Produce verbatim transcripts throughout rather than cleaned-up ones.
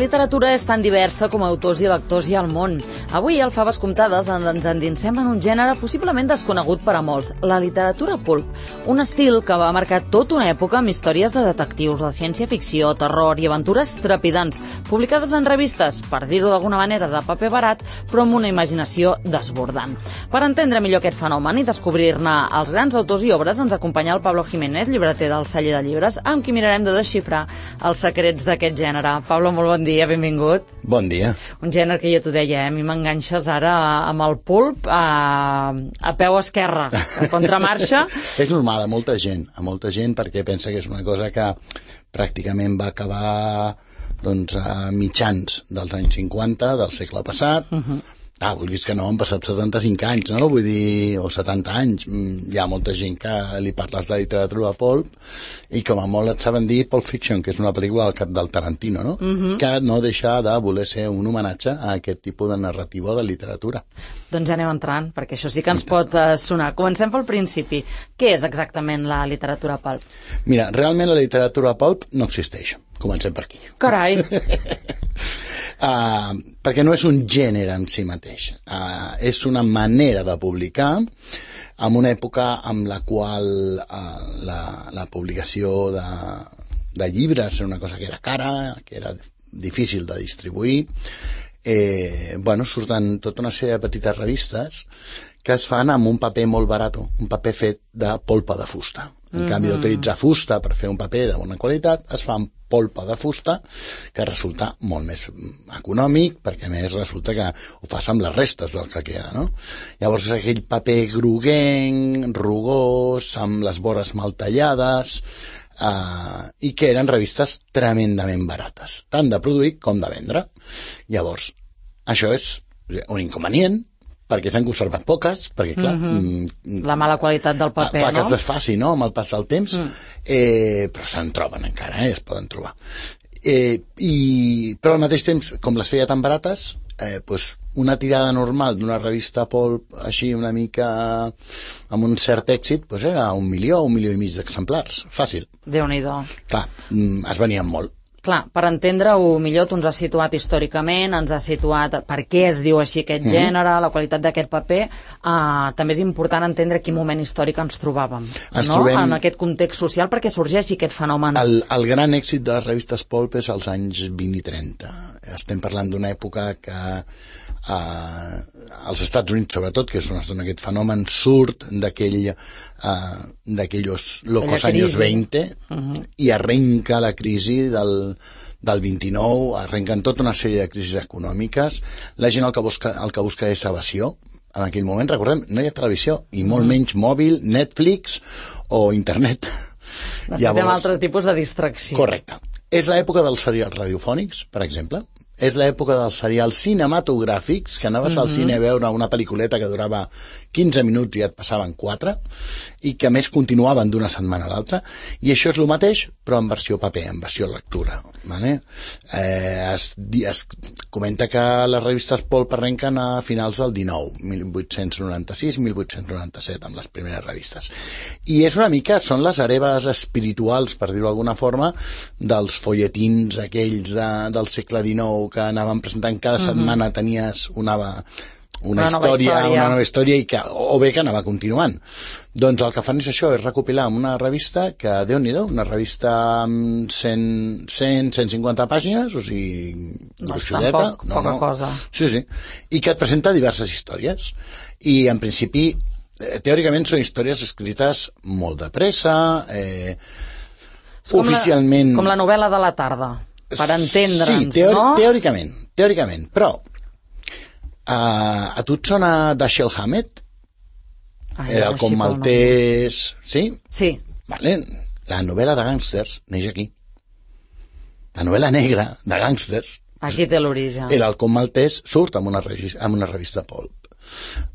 literatura és tan diversa com autors i lectors hi ha al món. Avui, al Faves Comptades, ens endinsem en un gènere possiblement desconegut per a molts, la literatura pulp, un estil que va marcar tota una època amb històries de detectius, de ciència-ficció, terror i aventures trepidants, publicades en revistes, per dir-ho d'alguna manera, de paper barat, però amb una imaginació desbordant. Per entendre millor aquest fenomen i descobrir-ne els grans autors i obres, ens acompanya el Pablo Jiménez, llibreter del Celler de Llibres, amb qui mirarem de desxifrar els secrets d'aquest gènere. Pablo, molt bon dia, benvingut. Bon dia. Un gènere que ja t'ho deia, eh? A mi m'enganxes ara amb el pulp a, a peu esquerre, a contramarxa. És normal a molta gent, a molta gent, perquè pensa que és una cosa que pràcticament va acabar doncs, a mitjans dels anys cinquanta del segle passat. Uh-huh. Ah, vulguis que no, han passat setanta-cinc anys, no? Vull dir, o setanta anys. Hi ha molta gent que li parles de literatura pulp i com a molt et saben dir Pulp Fiction, que és una pel·lícula del cap del Tarantino, no? Uh-huh. Que no deixa de voler ser un homenatge a aquest tipus de narrativa de literatura. Doncs ja anem entrant, perquè això sí que ens pot uh, sonar. Comencem pel principi. Què és exactament la literatura pulp? Mira, realment la literatura pulp no existeix. Comencem per aquí. Carai! Uh, perquè no és un gènere en si mateix, uh, és una manera de publicar en una època amb la qual uh, la, la publicació de, de llibres era una cosa que era cara, que era difícil de distribuir. Eh, bueno, surten tota una sèrie de petites revistes que es fan amb un paper molt barat, un paper fet de polpa de fusta. En mm-hmm. canvi d'utilitzar fusta per fer un paper de bona qualitat, es fa amb polpa de fusta, que resulta molt més econòmic, perquè a més resulta que ho fas amb les restes del que queda, no? Llavors és aquell paper groguenc, rugós, amb les vores mal tallades, eh, i que eren revistes tremendament barates, tant de produir com de vendre. Llavors, això és un inconvenient, perquè s'han conservat poques, perquè clar... Mm-hmm. La mala qualitat del paper, fa no? que es desfaci, no?, amb el pas del temps, mm. eh, però se'n troben encara, eh, es poden trobar. Eh, i, però al mateix temps, com les feia tan barates, eh, pues una tirada normal d'una revista pulp així una mica amb un cert èxit, pues era un milió, un milió i mig d'exemplars. Fàcil. Déu-n'hi-do. Clar, es venien molt. Clar, per entendre-ho millor, tu ens has situat històricament, ens has situat per què es diu així aquest mm-hmm. gènere, la qualitat d'aquest paper. Uh, també és important entendre quin moment històric ens trobàvem, ens no? Trobem... En aquest context social, perquè sorgeixi aquest fenomen. El, el gran èxit de les revistes pulp és als anys vint i trenta. Estem parlant d'una època que uh, als Estats Units, sobretot, que és on aquest fenomen surt d'aquell uh, d'aquells locos anys vint uh-huh. i arrenca la crisi del, del vint-i-nou, arrenquen tota una sèrie de crisis econòmiques. La gent el que busca, el que busca és evasió. En aquell moment, recordem, no hi ha televisió, i molt uh-huh. menys mòbil, Netflix o internet. Necessitem Llavors, altre tipus de distracció. Correcte. És l'època dels serials radiofònics, per exemple. És l'època dels serials cinematogràfics, que anaves mm-hmm. al cine a veure una pel·lículeta que durava quinze minuts i et passaven quatre, i que a més continuaven d'una setmana a l'altra, i això és el mateix, però en versió paper, en versió lectura. Vale? Eh, es, es comenta que les revistes pulp arrenquen a finals del dinou, mil vuit-cents noranta-sis mil vuit-cents noranta-set, amb les primeres revistes. I és una mica, són les hereves espirituals, per dir-ho d'alguna forma, dels folletins aquells de, del segle dinou, que anaven presentant cada setmana, uh-huh. tenies una, una, una, història, nova història, una nova història, i que, o bé que anava continuant. Doncs el que fan és això, és recopilar una revista que, Déu-n'hi-do, una revista amb cent, cent, cent cinquanta pàgines, o sigui, gruixudeta. Poc, no, poca no. cosa. Sí, sí. I que et presenta diverses històries. I, en principi, teòricament són històries escrites molt de pressa, eh, com oficialment... La, com la novel·la de la tarda. Per entendre'ns, sí, teori- no? teòricament, teòricament, però uh, a tu et sona Dashiell Hammett? Ai, el com maltès... Sí? Sí. Vale. La novel·la de gàngsters neix aquí. La novel·la negra de gàngsters... Aquí té l'origen. El halcón maltès surt amb una, amb una revista pulp.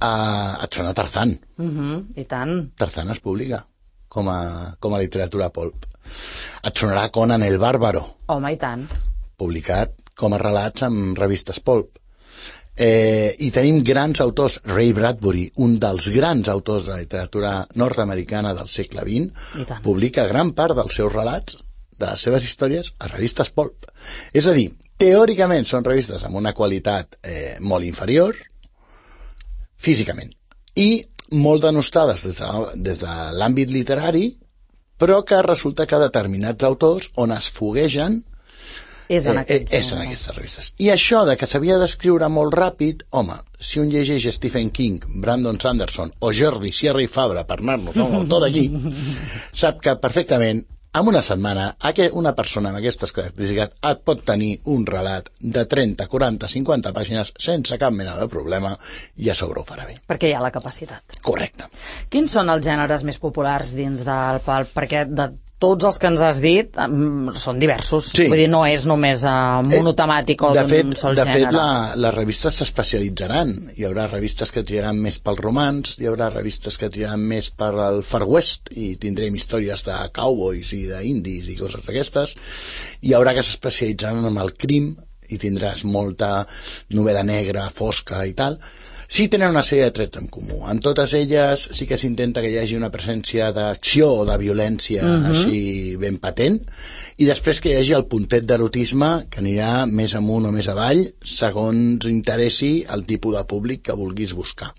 Uh, et sona Tarzan. Uh-huh, I tant. Tarzan es publica com a, com a literatura pulp. Et sonarà Conan el Bàrbaro. Home, i tant. Publicat com a relats en revistes pulp. Eh, I tenim grans autors. Ray Bradbury, un dels grans autors de la literatura nord-americana del segle vint, publica gran part dels seus relats, de les seves històries, a revistes pulp. És a dir, teòricament són revistes amb una qualitat eh, molt inferior, físicament, i molt denostades des de, des de l'àmbit literari, però que resulta que determinats autors on es foguegen és en, eh, és en aquestes revistes. I això de que s'havia d'escriure molt ràpid, home, si un llegeix Stephen King, Brandon Sanderson o Jordi Sierra i Fabra, per anar-nos a un autor d'allí, sap que perfectament en una setmana una persona amb aquestes característiques et pot tenir un relat de trenta, quaranta, cinquanta pàgines sense cap mena de problema i a sobre ho farà bé. Perquè hi ha la capacitat. Correcte. Quins són els gèneres més populars dins del pulp? Perquè de tots els que ens has dit um, són diversos. Sí. Vull dir, no és només uh, monotemàtic o d'un sol de gènere. De fet, la, les revistes s'especialitzaran. Hi haurà revistes que triaran més pel romans, hi haurà revistes que triaran més per al Far West i tindrem històries de cowboys i d'indis i coses d'aquestes. Hi haurà que s'especialitzaran en el crim i tindràs molta novel·la negra, fosca i tal. Sí tenen una sèrie de trets en comú. En totes elles sí que s'intenta que hi hagi una presència d'acció o de violència uh-huh. així ben patent, i després que hi hagi el puntet d'erotisme que anirà més amunt o més avall segons interessi el tipus de públic que vulguis buscar.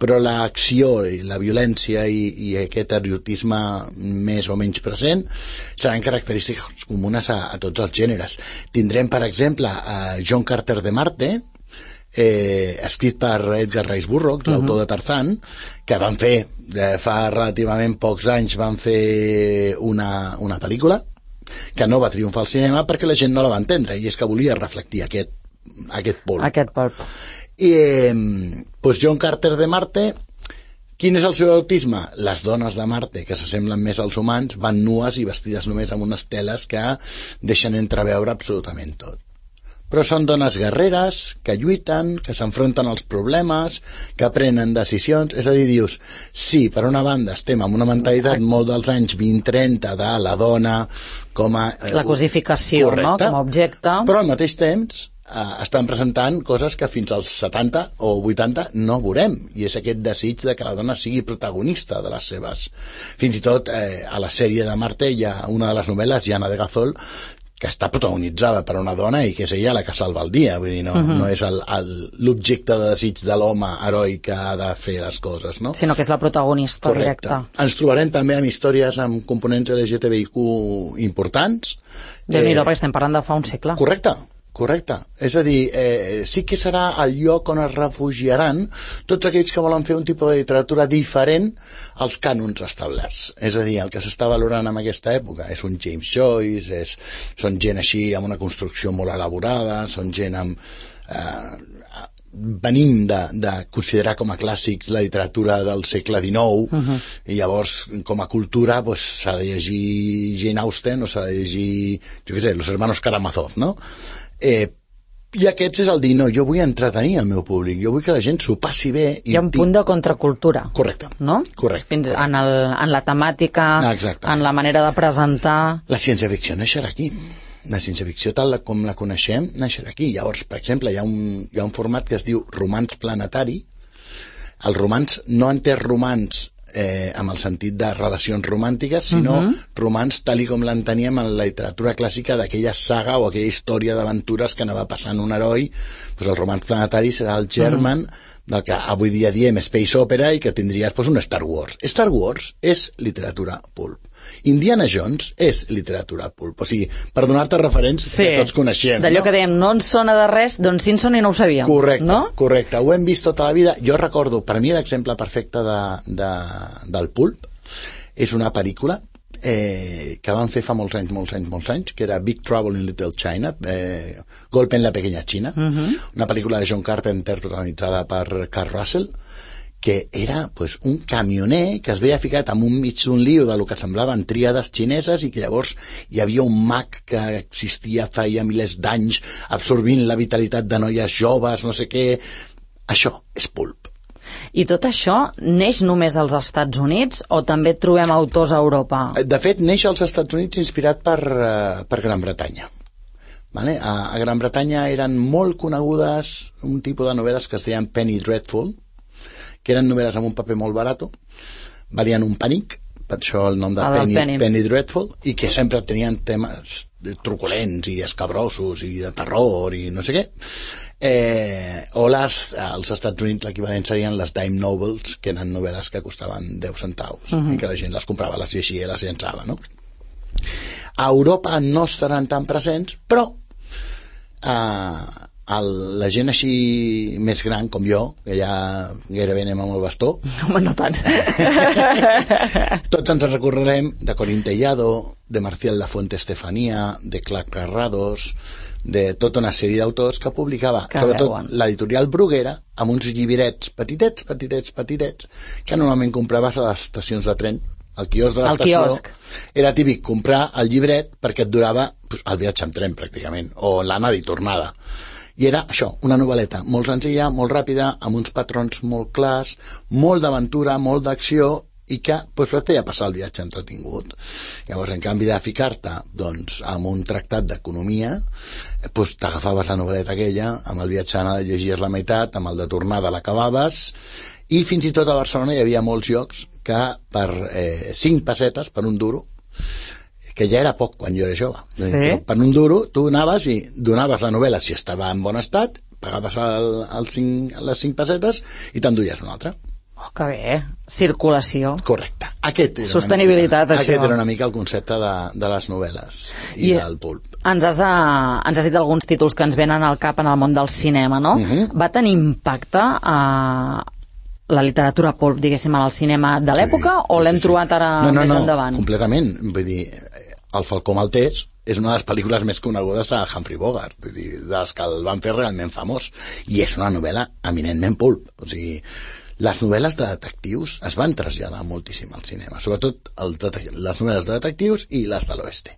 Però l'acció i la violència i, i aquest erotisme més o menys present seran característiques comunes a, a tots els gèneres. Tindrem, per exemple, a John Carter de Marte, Eh, escrit per Edgar Rice Burroughs, uh-huh. l'autor de Tarzan, que van fer, eh, fa relativament pocs anys van fer una, una pel·lícula que no va triomfar al cinema perquè la gent no la va entendre, i és que volia reflectir aquest, aquest pulp. Aquest pulp. I eh, doncs John Carter de Marte, quin és el seu autisme? Les dones de Marte, que s'assemblen més als humans, van nues i vestides només amb unes teles que deixen entreveure absolutament tot. Però són dones guerreres, que lluiten, que s'enfronten als problemes, que prenen decisions. És a dir, dius, sí, per una banda estem amb una mentalitat molt dels anys vint trenta de la dona com a... Eh, la cosificació, correcte, no?, com a objecte. Però al mateix temps eh, estan presentant coses que fins als setanta o vuitanta no veurem, i és aquest desig de que la dona sigui protagonista de les seves... Fins i tot eh, a la sèrie de Marte hi ha una de les novel·les, Jana de Gazol, que està protagonitzada per una dona i que és ella la que salva el dia, vull dir, no, uh-huh. no és el, el, l'objecte de desig de l'home heroi que ha de fer les coses, no? Sinó que és la protagonista. Correcte. Directa. Ens trobarem també amb històries amb components L G T B I Q importants. Déu-n'hi-do, eh, perquè estem parlant de fa un segle. Correcte. Correcte. És a dir, eh, sí que serà el lloc on es refugiaran tots aquells que volen fer un tipus de literatura diferent als cànons establerts. És a dir, el que s'està valorant en aquesta època és un James Joyce, és, són gent així amb una construcció molt elaborada, són gent amb... Eh, venim de, de considerar com a clàssics la literatura del segle dinou, uh-huh. i llavors com a cultura pues, s'ha de llegir Jane Austen o s'ha de llegir, jo què sé, Los Hermanos Karamazov, no? Eh, i aquests és el dir, no, jo vull entretenir el meu públic, jo vull que la gent s'ho passi bé. I hi ha un punt de contracultura. Correcte. No? Correcte. Fins correcte. En, el, en la temàtica, exacte. En la manera de presentar... La ciència-ficció naixerà aquí. La ciència-ficció tal com la coneixem naixerà aquí. Llavors, per exemple, hi ha un, hi ha un format que es diu romanç planetari. El romanç no entès romanç Eh, amb el sentit de relacions romàntiques, sinó uh-huh. romanç tal i com l'enteníem en la literatura clàssica d'aquella saga o aquella història d'aventures que anava passant un heroi. Pues el romanç planetari serà el germen uh-huh. del que avui dia diem space opera i que tindries pues, un Star Wars. Star Wars és literatura pulp. Indiana Jones és literatura pulp. O sigui, per donar-te referents sí. que tots coneixem. D'allò no? que dèiem, no ens sona de res, doncs Simpson i no ho sabíem. Correcte, no? correcte. Ho hem vist tota la vida. Jo recordo, per mi l'exemple perfecte de, de, del pulp és una pel·lícula eh, que van fer fa molts anys, molts anys, molts anys, que era Big Trouble in Little China, eh, Golpe en la pequeña China, uh-huh. una pel·lícula de John Carpenter protagonitzada per Kurt Russell, que era pues, un camioner que es veia ficat en un mig d'un lío de lo que semblaven tríades xineses i que llavors hi havia un mag que existia feia milers d'anys absorbint la vitalitat de noies joves, no sé què. Això és pulp. I tot això neix només als Estats Units o també trobem autors a Europa? De fet, neix als Estats Units inspirat per, uh, per Gran Bretanya. Vale? A, a Gran Bretanya eren molt conegudes un tipus de novel·les que es deien Penny Dreadful, que eren novel·les amb un paper molt barat, valien un penic, per això el nom de Penny, Penny. Penny Dreadful, i que sempre tenien temes truculents i escabrosos i de terror i no sé què. Eh, o les, als Estats Units l'equivalent serien les dime novels, que eren novel·les que costaven deu centaus, uh-huh. i que la gent les comprava, les llegia i les llençava, no? A Europa no estaran tan presents, però eh, el, la gent així més gran com jo, que ja gairebé anem amb el bastó, home, no tant. Tots ens recorrerem de Corín Tellado, de Marcial Lafuente Estefanía, de Clark Carrados, de tota una sèrie d'autors que publicava, que sobretot veuen. L'editorial Bruguera, amb uns llibirets petitets, petitets, petitets, que normalment compraves a les estacions de tren. Al quiosc de l'estació era típic comprar el llibret perquè et durava pues, el viatge en tren, pràcticament, o l'anada i tornada. I era això, una novel·leta molt senzilla, molt ràpida, amb uns patrons molt clars, molt d'aventura, molt d'acció, i que pues, et feia passar el viatge entretingut. Llavors, en canvi de ficar-te doncs, amb un tractat d'economia, pues, t'agafaves la novel·leta aquella, amb el viatge d'anada llegies la meitat, amb el de tornada l'acabaves, i fins i tot a Barcelona hi havia molts llocs que per eh, cinc pessetes, per un duro, que ja era poc quan jo era jove, sí? Per un duro tu anaves i donaves la novel·la si estava en bon estat, pagaves el, el cinc, les cinc pessetes i t'enduies una altra. Oh, que bé. Circulació. Correcte. Aquest era sostenibilitat, mica, això. Aquest era una mica el concepte de, de les novel·les i, I del pulp. Ens has, uh, ens has dit alguns títols que ens venen al cap en el món del cinema, no? Uh-huh. Va tenir impacte a uh, la literatura pulp, diguéssim, al cinema de l'època, sí, o sí, l'hem sí, trobat ara no, no, més no, endavant? Completament. Vull dir, El Falcó Maltès és una de les pel·lícules més conegudes de Humphrey Bogart, vull dir, de les que el van fer realment famós, i és una novel·la eminentment pulp. O sigui, les novel·les de detectius es van traslladar moltíssim al cinema, sobretot el, les novel·les de detectius i les de l'oeste.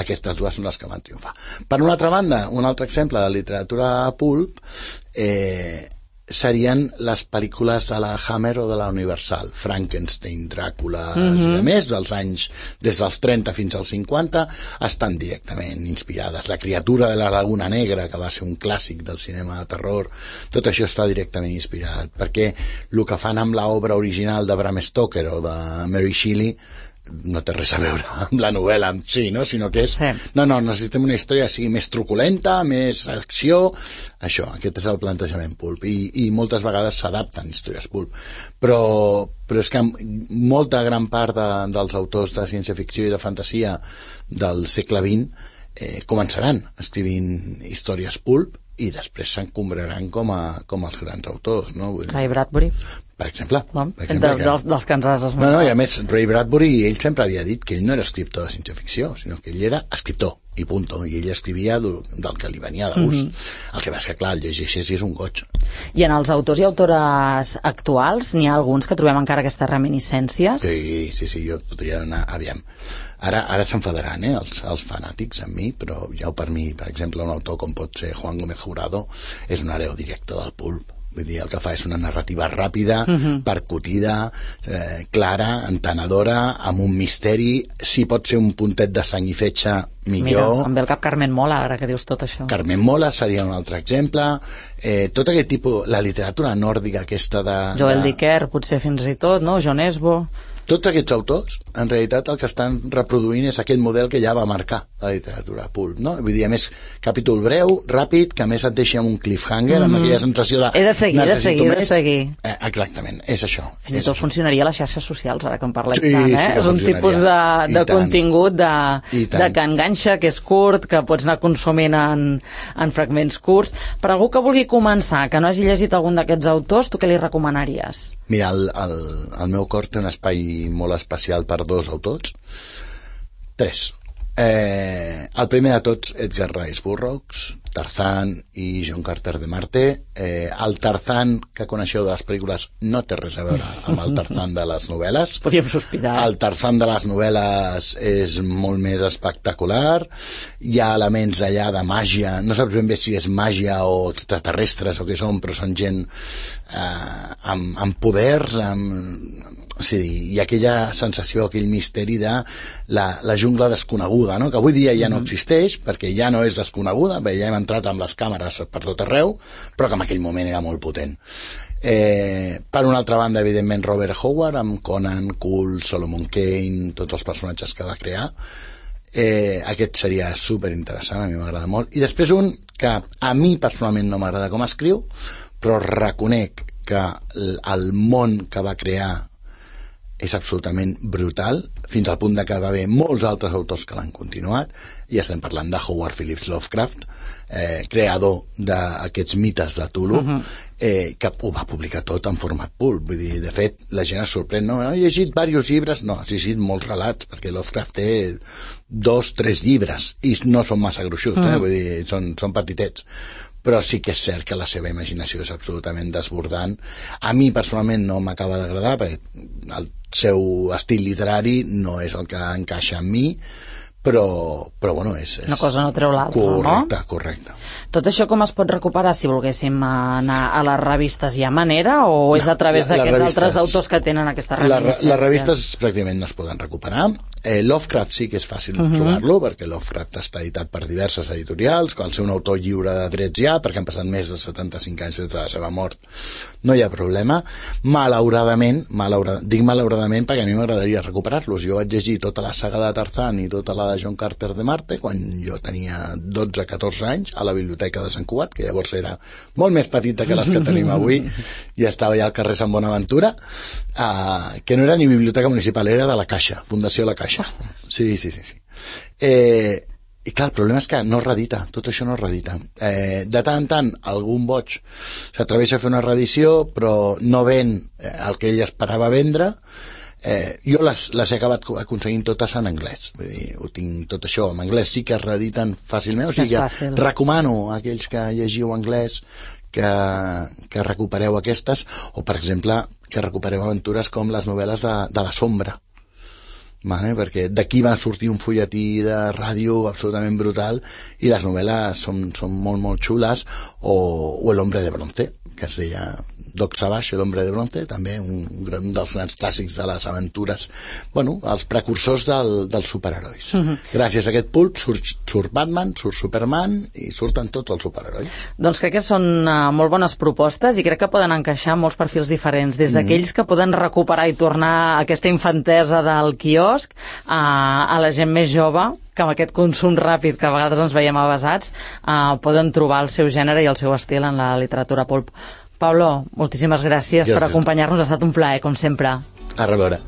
Aquestes dues són les que van triomfar. Per una altra banda, un altre exemple de literatura pulp eh, serien les pel·lícules de la Hammer o de la Universal, Frankenstein, Dràcula, mm-hmm. i a més, dels anys des dels trenta fins als cinquanta, estan directament inspirades. La criatura de la Laguna Negra, que va ser un clàssic del cinema de terror, tot això està directament inspirat, perquè el que fan amb l'obra original de Bram Stoker o de Mary Shelley no té res a veure amb la novel·la en si, no? Sinó que és... Sí. No, no, necessitem una història sigui més truculenta, més acció... Això, aquest és el plantejament pulp. I, i moltes vegades s'adapten històries pulp. Però, però és que molta gran part de, dels autors de ciència-ficció i de fantasia del segle vint eh, començaran escrivint històries pulp i després s'encombraran com, a, com els grans autors, no? Ray Bradbury. Per exemple. No, per exemple de, que... dels, dels que ens has esmentat. No, no, i a més, Ray Bradbury, ell sempre havia dit que ell no era escriptor de ciència-ficció, sinó que ell era escriptor, i punto, i ell escrivia del, del que li venia de gust. Mm-hmm. El que va és que, clar, el llegeixes i és un goig. I en els autors i autores actuals n'hi ha alguns que trobem encara aquestes reminiscències? Sí, sí, sí, jo podria anar... Aviam. Ara, ara s'enfadaran, eh, els, els fanàtics amb mi, però ja per mi, per exemple, un autor com pot ser Juan Gómez Jurado és un hereu directe del pulp. Vull dir, el que fa és una narrativa ràpida, uh-huh. percutida, eh, clara, entenedora, amb un misteri. Si pot ser un puntet de sang i fetge, millor. Mira, em ve al cap Carmen Mola, ara que dius tot això. Carmen Mola seria un altre exemple. Eh, tot aquest tipus, la literatura nòrdica aquesta de... Joel de... Dicker, potser fins i tot, no? John Esbo... Tots aquests autors, en realitat, el que estan reproduint és aquest model que ja va marcar la literatura pulp, no? Vull dir, a més, capítol breu, ràpid, que a més et deixa amb un cliffhanger, mm-hmm. amb aquella sensació de... He de seguir, he de seguir, he de seguir. Eh, exactament, és això. Fins i tot funcionaria a les xarxes socials, ara que en parlem sí, tant, eh? Sí, és un tipus de, de contingut de, de que enganxa, que és curt, que pots anar consumint en, en fragments curts. Per algú que vulgui començar, que no hagi llegit algun d'aquests autors, tu què li recomanaries? Mira, el, el, el meu cor té un espai molt especial per dos autors. Tres. Eh, el primer de tots, Edgar Rice Burroughs, Tarzan i John Carter de Marte. Eh, el Tarzan que coneixeu de les pel·lícules no té res a veure amb el Tarzan de les novel·les. Podríem sospitar. El Tarzan de les novel·les és molt més espectacular. Hi ha elements allà de màgia, no saps ben bé si és màgia o extraterrestres o què són, però són gent eh, amb, amb poders, amb... Sí, i aquella sensació, aquell misteri de la, la jungla desconeguda, no? Que avui dia ja no existeix, perquè ja no és desconeguda, bé, ja hem entrat amb les càmeres per tot arreu, però que en aquell moment era molt potent. Eh, per una altra banda, evidentment, Robert Howard, amb Conan, Cool, Solomon Kane, tots els personatges que va crear. Eh, aquest seria super interessant, a mi m'agrada molt. I després un que a mi personalment no m'agrada com escriu, però reconec que el món que va crear és absolutament brutal, fins al punt de que va haver molts altres autors que l'han continuat, i estem parlant de Howard Phillips Lovecraft, eh, creador d'aquests mites de Cthulhu, uh-huh. eh, que ho va publicar tot en format pulp. Vull dir, de fet, la gent es sorprèn, no, he llegit diversos llibres, no, has llegit molts relats, perquè Lovecraft té dos, tres llibres, i no són massa gruixuts, uh-huh. eh? Vull dir, són, són petitets, però sí que és cert que la seva imaginació és absolutament desbordant. A mi personalment no m'acaba d'agradar, perquè el seu estil literari no és el que encaixa amb mi, però, però bueno, és, és... Una cosa no treu l'altra, no? Correcte, correcte. Tot això com es pot recuperar si volguéssim anar a les revistes? Hi ha manera o és a través no, d'aquests altres autors que tenen aquestes reminiscències? Les revistes pràcticament no es poden recuperar. Eh, Lovecraft sí que és fàcil uh-huh. trobar-lo, perquè Lovecraft està editat per diverses editorials, que al ser un autor lliure de drets ja, perquè han passat més de setanta-cinc anys des de la seva mort, no hi ha problema. Malauradament, malauradament dic malauradament perquè a mi m'agradaria recuperar-los. Jo vaig llegir tota la saga de Tarzan i tota la de John Carter de Marte quan jo tenia dotze catorze anys a la biblioteca de Sant Cugat, que llavors era molt més petita que les que tenim avui, i estava ja al carrer Sant Bonaventura, uh, que no era ni biblioteca municipal, era de la Caixa, Fundació La Caixa. Sí, sí, sí, sí. Eh, i clar, el problema és que no es reedita, tot això no es reedita. Eh, de tant en tant algun boig s'atreveix a fer una reedició, però no ven eh, el que ell esperava vendre. Eh, jo les, les he acabat aconseguint totes en anglès, vull dir, ho tinc tot això en anglès, sí que es reediten fàcilment, o sigui que recomano a aquells que llegiu anglès que, que recupereu aquestes, o per exemple que recupereu aventures com les novel·les de, de la Sombra, vale? Perquè d'aquí va sortir un fulletí de ràdio absolutament brutal i les novel·les són, són molt molt xules, o, o El hombre de bronce, que es deia Doc Savage, El hombre de bronce, també un, un dels grans clàssics de les aventures, bueno, els precursors del, dels superherois. Uh-huh. Gràcies a aquest pulp surt, surt Batman, surt Superman i surten tots els superherois. Doncs crec que són uh, molt bones propostes i crec que poden encaixar molts perfils diferents, des d'aquells que poden recuperar i tornar aquesta infantesa del quiosc a, a la gent més jove, que amb aquest consum ràpid que a vegades ens veiem avasats uh, poden trobar el seu gènere i el seu estil en la literatura pulp. Pablo, moltíssimes gràcies, gràcies per acompanyar-nos, ha estat un plaer, com sempre. A reveure.